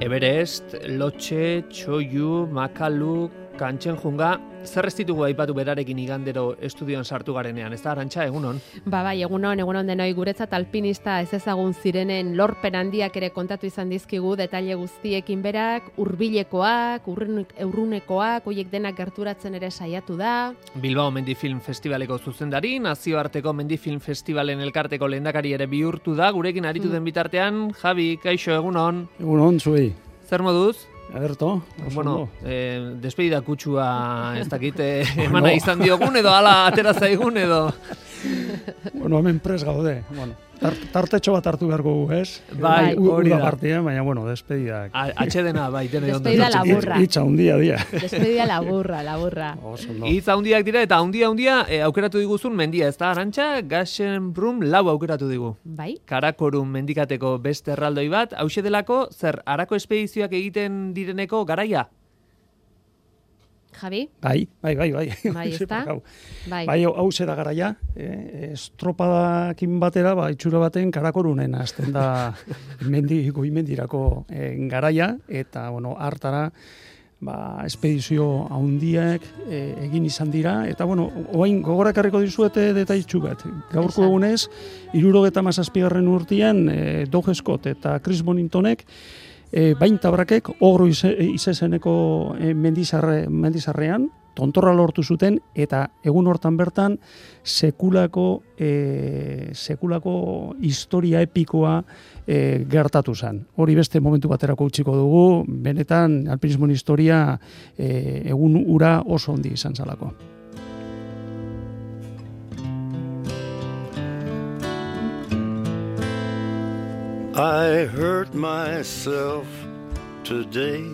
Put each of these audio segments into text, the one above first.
Everest, Lotxe, Txoiu, Makalu, Kantxenjunga, zer ez ditugu aipatu berarekin igandero estudioan sartu garenean, ez da, Arantxa, egunon? Bai, egunon denoi, guretzat alpinista ez ezagun zirenen lorpen handiak ere kontatu izan dizkigu, detaile guztiekin berak, hurbilekoak, urrunekoak, hoiek denak gerturatzen ere saiatu da. Bilbao Mendifilm Festivaleko zuzendari, nazioarteko Mendifilm Festivalen elkarteko lehendakari ere bihurtu da, gurekin aritu den bitartean, Javi, kaixo, egunon? Egunon, zuei. Zer moduz? Agerto, bueno, despedida kutsua ez dakit emana izan diogun edo ala atera zaigun edo... Bueno, hemen pres gaude. Bueno, tartetxo bat hartu beharko gu, ez? Bai, hori da. Partian, baina, bueno, despedidak. Atxedena, bai, tene ondo. Despedida laburra. Itza hundia dia. Despedida laburra. Itza hundiak dira eta hundia aukeratu diguzun mendia, ez da, Arantxa? Gasenbrun 4 aukeratu digu. Bai. Karakorum mendikateko beste erraldoi bat, hauxe delako, zer, arako espedizioak egiten direneko garaia? Javi? Bai. Bai, ezta? Bai, hau zera garaia, estropadakin batera, itxura baten Karakorunen hasten da goimendirako garaia, eta, bueno, hartara, espedizio handiak egin izan dira, eta, bueno, oain gogorakarriko dizuete detaitxu bat. Gaurko egunez, 77. urtean, Doug Scott eta Chris Boningtonek, baintabrakek ogro izezeneko mendizarrean, tontorra lortu zuten, eta egun hortan bertan sekulako historia epikoa gertatu zen. Hori beste momentu baterako utziko dugu, benetan alpinismoen historia egun ura oso handi izan zalako. I hurt myself today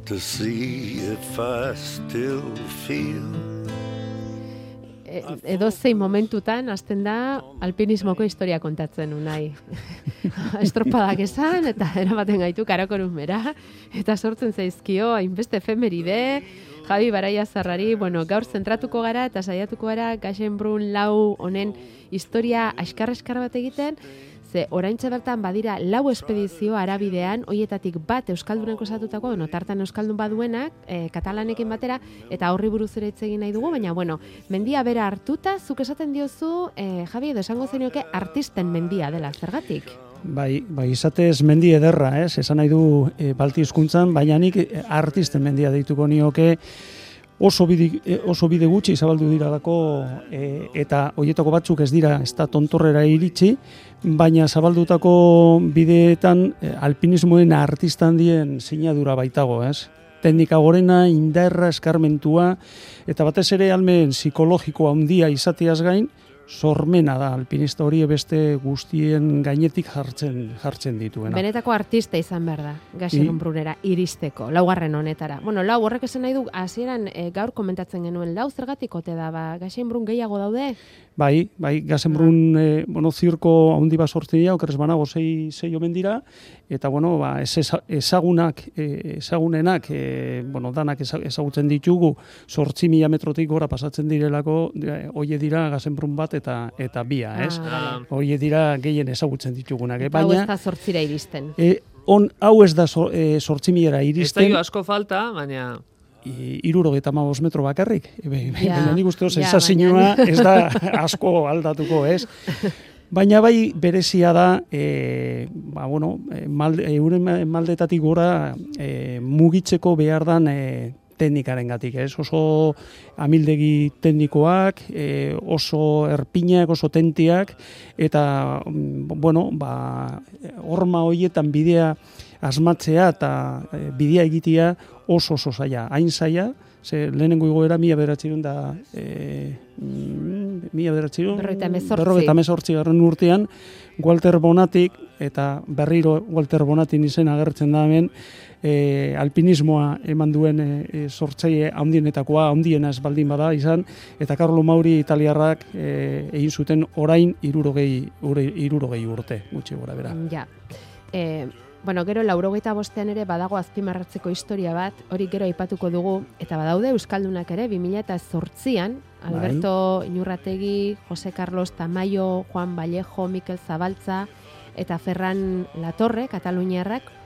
to see if I still feel. Edozein momentutan hasten da alpinismoko historia kontatzen unai. Estropadak esan eta eramaten gaitu Karakorumera eta sortzen zaizkio hainbeste efemeride. Javi Baraiazarrari, bueno, gaur zentratuko gara eta saiatuko gara Gasenbrun 4 honen historia askar bat egiten. Ze oraintxe bertan badira 4 espedizio arabidean, hoietatik bat euskalduneko osatutako, tartan euskaldun baduenak, katalanekin batera, eta horri buruz ere hitz egin nahi dugu, baina, bueno, mendia bera hartuta, zuk esaten diozu, Javi, edo esango zenioke artisten mendia dela, zergatik? Bai, izatez mendi ederra, ez? Esan nahi du Balti hizkuntzan, baina nik artisten mendia deituko nioke, oso bide gutxi zabaldu diralako eta hoietako batzuk ez dira, ez da tontorrera iritsi, baina zabaldutako bideetan alpinismoen artista handien sinadura baitago, ez? Teknika gorena, indarra, eskarmentua, eta batez ere almen psikologikoa handia izateaz gain, sormena da alpinista hori beste guztien gainetik jartzen dituena. Benetako artista izan behar da, Gasenbrunera iristeko, 4. honetara. Bueno, 4 horrek esan nahi du, hasieran gaur komentatzen genuen, 4 zergatik ote da, Gasenbrun gehiago daude? Bai, Gasenbrun, zirko handi bat sortzen dira, okerrez banago 6 omen dira, eta, ezagunenak, danak ezagutzen ditugu, 8.000 metrotik gora pasatzen direlako, hoie dira Gasenbrun bat eta bia, ez? Hoie dira gehien ezagutzen ditugunak. Eta hau ez da 8.000 iristen. Hau ez da 8.000 iristen. Ez da asko falta, baina... 75 metro bakarrik. Nik uste sensazioa ez da asko aldatuko, ez? Baina bai berezia da, euren maldetatik gora mugitzeko behar dan teknikarengatik, ez? Oso amildegi teknikoak, oso erpinak, oso tentiak, eta, horma horietan bidea asmatzea eta bidea egitea oso zaila, hain zaila, ze lehenengo igoera 1958 urtean, Walter Bonatik, eta berriro Walter Bonatin izen agertzen da hemen, alpinismoa eman duen sortzaile handiena ez baldin bada izan, eta Carlo Mauri italiarrak egin zuten orain 60 urte, gutxi gora bera. Ja. Bueno, gero 85ean ere badago azpimarratzeko historia bat, hori gero aipatuko dugu, eta badaude euskaldunak ere 2008an, Alberto Inurrategi, Jose Carlos Tamayo, Juan Vallejo, Mikel Zabaltza eta Ferran Latorre, kataluniarrak,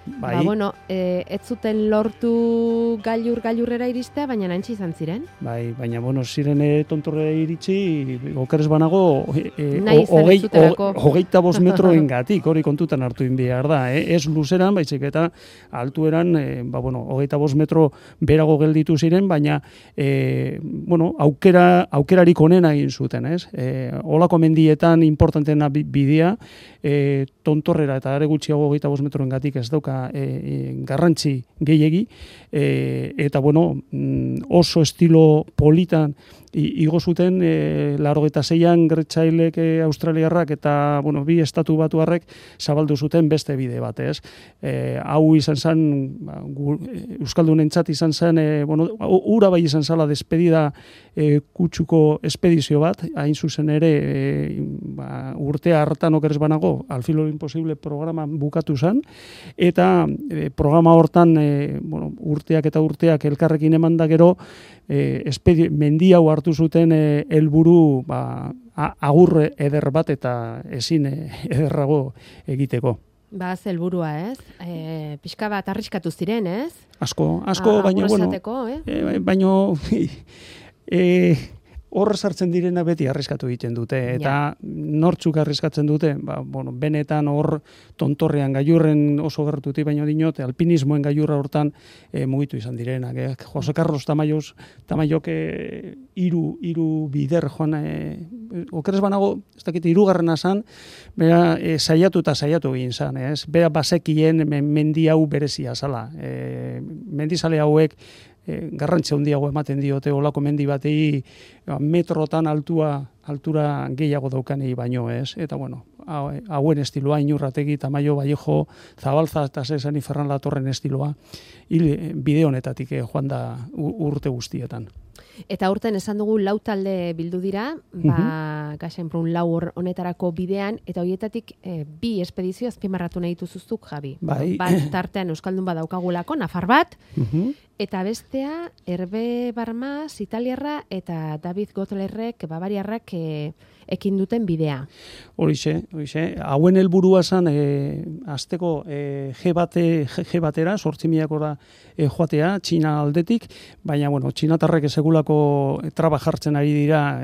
Bai. bueno, ez zuten lortu gailurrera iristea, baina nantzi izan ziren. Bai, baina, bueno, ziren tontorrera iritsi, okeres banago, Nahi izan ez zutelako. 25 metroen gatik, hori kontutan hartu behar da. Ez luzeran, baizik eta altueran, 25 metro berago gelditu ziren, baina, aukerarik onena egin zuten, ez? Olako mendietan importantena bidea, tontorrera eta are gutxiago 25 metroen gatik ez dauka garrantzi gehiegi, eta oso estilo politan igo zuten 86an Gertzailek australiarrak eta bi estatu batuarrek zabaldu zuten beste bide bat, ez? Hau izan zen, euskaldunentzat izan zen, ura bai izan zala despedida kutsuko espedizio bat, hain zuzen ere urtea hartan okeres banago, Al filo imposible programa bukatu zen, eta programa hortan urteak eta urteak elkarrekin eman da gero, mendi hau hartu zuten helburu agur eder bat eta ezin ederrago egiteko. Helburua, ez? Pixka bat arriskatu ziren, ez? Asko, baina, baina horre sartzen direna beti arriskatu egiten dute, eta nortzuk arriskatzen dute, benetan hor tontorrean gailurren oso gertuti baino dinot, alpinismoen gailurra hortan mugitu izan direnak. Jose Carlos Tamayok hiru bider joan, okeres banago, ez dakit, hirugarrena zan, bera saiatu egin zan, ez? Bera bazekien mendi hau berezia zala. Mendizale hauek garrantzia handiago ematen diote olako mendi batei metrotan altura gehiago daukanei baino, ez? Eta hauen estiloa, Inurrategi, Tamayo, Vallejo, Zabalza eta Zesani Ferran Latorren estiloa bide honetatik joan da urte guztietan. Eta urten esan dugu 4 talde bildu dira, Gaxenprun 4 honetarako bidean, eta horietatik 2 espedizio azpimarratu nahi dituzuzuk, Javi. Bai. Bat tartean euskaldun badaukagulako, Nafar bat, eta bestea Herbe Barmas, italiarra, eta David Gotlerrek, bavariarrak ekin duten bidea. Horixe. Hauen helburua zen azteko G batera, 8.000 joatea, Txina aldetik, baina, txinatarrek segulako traba jartzen ari dira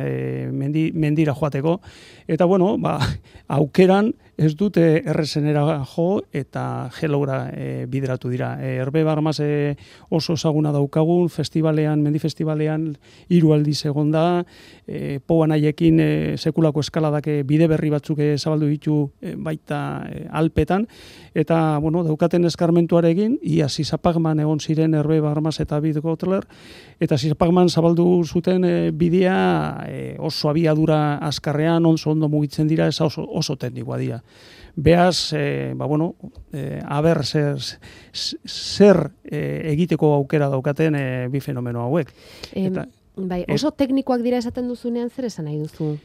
mendira joateko, eta, aukeran ez dute errezenera jo eta geloura bideratu dira. Herbe Barmas oso ezaguna daukagun, mendi festivalean 3 aldiz egon da, Poan haiekin sekulako eskaladak bide berri batzuk zabaldu ditu baita Alpetan, eta daukaten eskarmentuarekin, ia Sisapagman egon ziren Herbe Barmas eta David Gotler, eta Sisapagman zabaldu zuten bidea oso abiadura azkarrean, ondo mugitzen dira, ez oso teknikoa dira. Beaz, aber zer egiteko aukera daukaten bi fenomeno hauek. Oso teknikoak dira esaten duzunean, zer esan nahi duzu?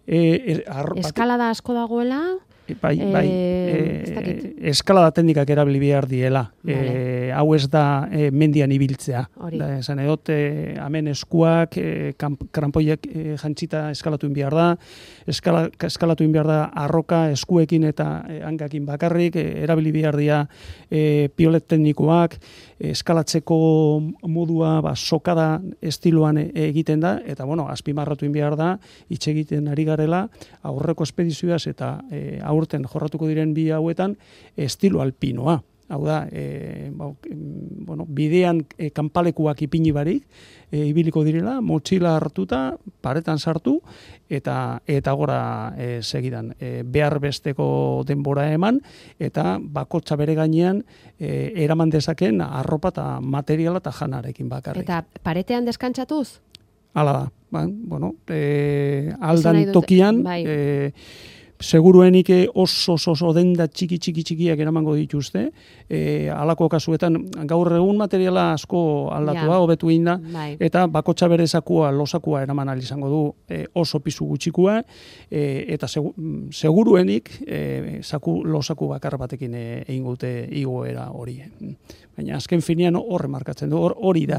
Eskalada asko dagoela? Bai, eskalada teknikak erabili behar diela. Hau ez da mendian ibiltzea. Esan edot, hemen eskuak, krampoiek jantzita eskalatu behar da, eskalatu behar da arroka, eskuekin eta hangakin bakarrik, erabili behar dira piolet teknikoak, eskalatzeko modua sokada estiloan egiten da, eta azpimarratu behar da, hitz egiten ari garela, aurreko espedizioaz eta aurten jorratuko diren bi hauetan estilo alpinoa. Hau da, bidean kanpalekuak ipini barik, ibiliko direla, motxila hartuta, paretan sartu, eta gora segidan. Behar besteko denbora eman, eta bakotxa bere gainean eraman dezaken arropa eta materiala eta janarekin bakarrik. Eta paretean deskantzatuz? Hala da. Aldan tokian, seguruenik oso denda txikiak eramango dituzte, halako kasuetan gaur egun materiala asko aldatua, hobetu egin da, eta bakotxa bere losakua eraman ahal izango du oso pisu gutxikua, eta seguruenik losaku bakar batekin egin gute igoera hori. Baina azken finean horre markatzen du, hori da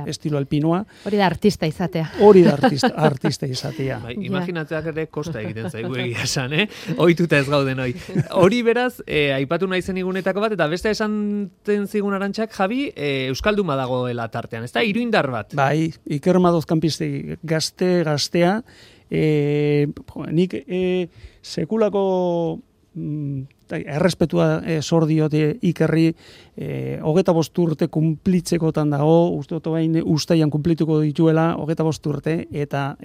estilo alpinoa. Hori da artista izatea. Hori da artista izatea. Imaginatzeak ere kosta egiten zaigu egia esan, ohituta ez gauden hoi. Hori beraz, aipatu nahi zen igunetako bat, eta beste esanten zigun Arantxak, Javi, Euskalduma dagoela tartean, ez da, iruindar bat? Bai, Iker Madoz kanpisti gaztea, nik sekulako errespetua zor diote Ikerri, 25 urte kumplitzekotan dago, uste dut bain ustaian kumplituko dituela 25 urte, eta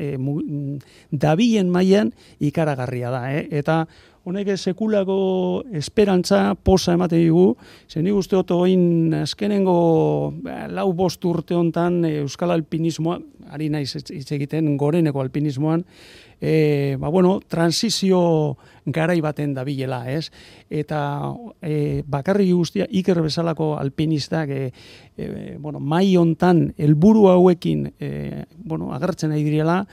dabilen mailan ikaragarria da, eta honek sekulako esperantza posa ematen digu, zen nik uste dut oin azkenengo 4-5 urte hontan euskal alpinismoa, ari naiz hitz egiten goreneko alpinismoan, transizio garai baten dabilela, ez? Eta bakarrik guztia Iker bezalako alpinistak mai hontan helburu hauekin agertzen nahi direla,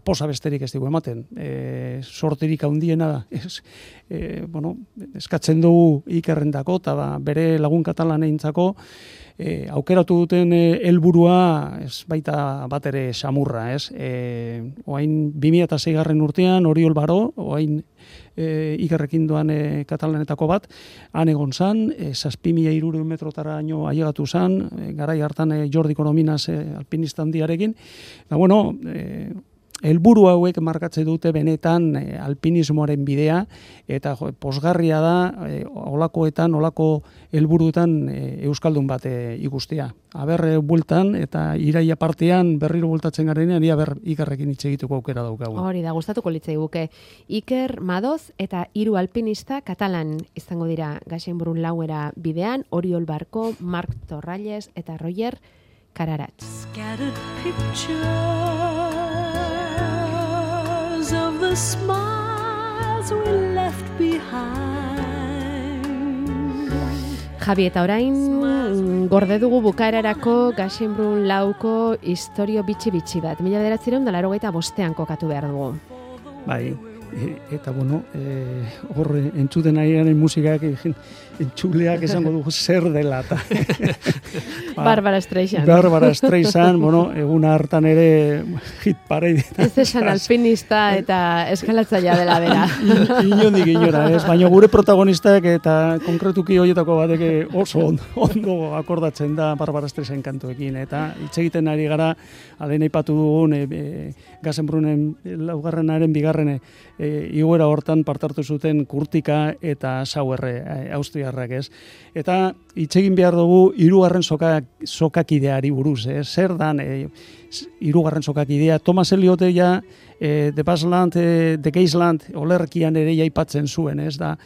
posa besterik ez dugu ematen. Sorterik handiena da. Eskatzen dugu Ikerrendako eta bere lagun katalaneintzako aukeratu duten helburua ez baita bat ere samurra, ez? Oain 2006 urtean Oriol Baro, oain Ikerrekin doan katalanetako bat, han egon zan, 7.300 metrotara aino ailegatu zan, garai hartan Jordi Corominas alpinista handiarekin, eta helburu hauek markatzen dute benetan alpinismoaren bidea, eta posgarria da olako helburuetan euskaldun bat ikustea. Aber bueltan eta iraia partean berriro bueltatzen garenean, Ikerrekin hitz egiteko aukera daukagu. Hori da, gustatuko litzaiguke. Iker Madoz eta 3 alpinista katalan izango dira Gaxenbrun lauera bidean, Oriol Barko, Marc Torralles eta Roger Kararatz. Of the smiles we left behind. Javi, eta orain gorde dugu bukaerarako Gaxenbrun lauko istorio bitxi bat. 1985 kokatu behar dugu. Bai, eta hor entzuten ari garen musikak entzuleak esango dugu zer dela. Barbara Streisand. Barbara Streisand, egun hartan ere hit parade. Ez esan alpinista eta eskalatzailea dela bera. Inondik inora, ez? Baina gure protagonistak eta konkretuki horietako batek oso ondo akordatzen da Barbara Streisand kantuekin. Eta hitz egiten ari gara, alen aipatu dugun, Gaxenbrunen laugarrenaren bigarren igoera hortan partartu zuten Kurtika eta Sauerre austriarrak, ez? Eta hitz egin behar dugu 3. sokakideari buruz, zer dan 3. sokakidea. Thomas Elliot The Bassland, The Geisland olerkian ere aipatzen zuen, ez da?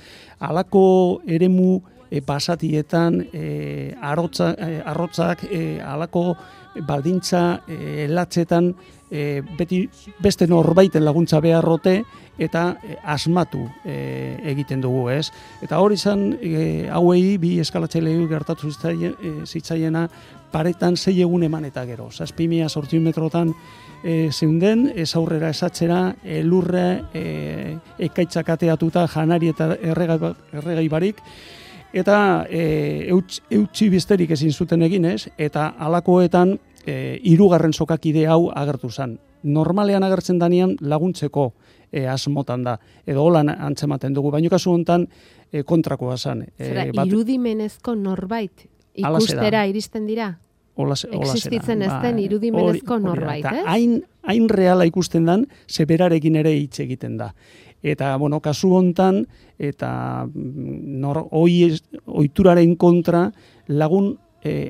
Halako eremu basatietan arrotzak halako baldintza latzetan beti beste norbaiten laguntza beharrote eta asmatu egiten dugu, ez? Eta hori izan hauei bi eskalatzailei gertatu zitzaiena paretan 6 egun eman eta gero. 7.800 metrotan zeunden, ez aurrera esatzera, lurre ekaitzak ateatuta janari eta erregai barik, eta eutsi bizterik ezin zuten egin, ez? Eta halakoetan 3. sokakide hau agertu zen. Normalean agertzen danean laguntzeko asmotan da, edo holan antzematen dugu, baina kasu honetan kontrakoa zen. Irudimenezko norbait ikustera iristen dira? Existitzen ez den irudimenezko norbait, ez? Hain reala ikusten dan, zeberarekin ere hitz egiten da. Eta, kasu hontan, eta ohituraren kontra lagun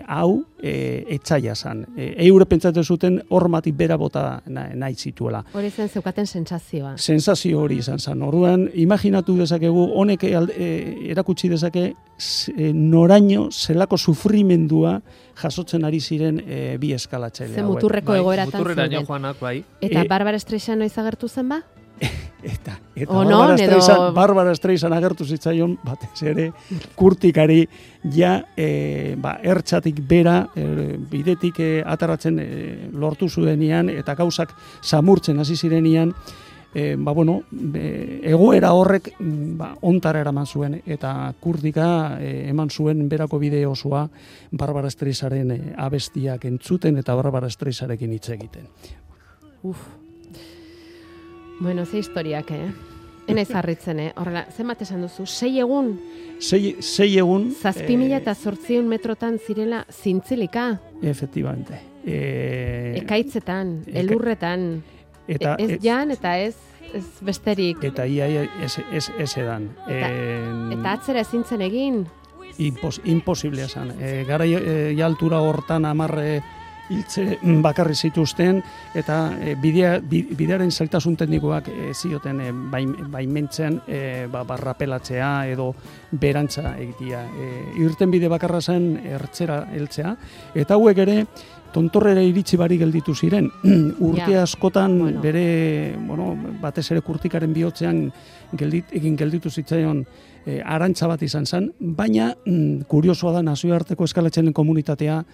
hau etxaila zan. Eure pentsatzen zuten hormatik bera bota nahi zituela. Hori zen zeukaten sentsazioa. Sentsazio hori izan zen. Orduan, imaginatu dezakegu, honek erakutsi dezake noraino zelako sufrimendua jasotzen ari ziren bi eskalatzaile hauek. Ze muturreko egoeratan zeuden. Muturreraino joanak, bai. Eta Barbara Streisand noiz agertu zen ba? Eta Onon, Barbara Streisand agertu zitzaion, batez ere, kurtikari, ertxatik bera, bidetik ataratzen lortu zuenian, eta gauzak samurtzen hasi zirenian, egoera horrek ontara eraman zuen, eta kurtika eman zuen berako bide osoa Barbara Streisandaren abestiak entzuten, eta Barbara Streisandarekin hitz egiten. Bueno, ze historiak, Enaiz harritzen, horrela, zenbat esan duzu? 6 egun? 6 egun. 7.800 metrotan zirela zintzilika? Efectivamente. Ekaitzetan, elurretan, ez jan eta ez besterik. Eta ia ez edan. Eta atzera ezintzen egin? Imposiblea esan. Gara altura hortan 10 hiltze bakarri zituzten, eta bidearen zailtasun teknikoak zioten baimentzen barrapelatzea edo berantza egitea. Irten bide bakarra zen ertzera heltzea, eta hauek ere tontorrera iritsi barik gelditu ziren. Urte askotan bere, batez ere kurtikaren bihotzean gelditu zitzaion arantza bat izan zen, baina kuriosoa da nazioarteko eskalatxenen komunitatea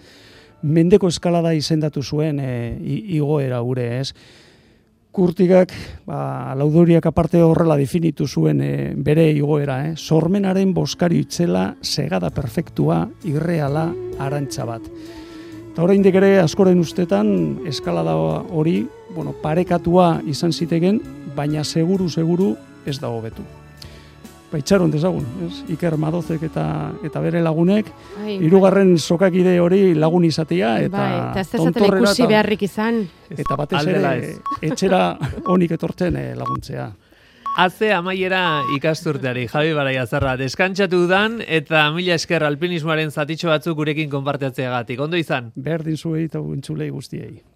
mendeko eskalada izendatu zuen igoera gure, ez? Kurtikak, laudoriak aparte horrela definitu zuen bere igoera, sormenaren boskari itzela, segada perfektua, irreala, arantza bat. Eta oraindik ere askoren ustetan eskalada hori, parekatua izan zitegen, baina seguru ez da hobetu. Itxaron dezagun, Iker Madozek eta bere lagunek, 3. sokakide hori lagun izatea, eta ez dezaten ikusi beharrik izan. Eta batez ere, etxera honik etortzen laguntzea. Haze amaiera ikasturteari, Javi Baraiazarra, deskantzatu dan, eta mila esker alpinismoaren zatitxo batzuk gurekin konpartiatzeagatik. Ondo izan? Berdin zuei eta entzulei guztiei.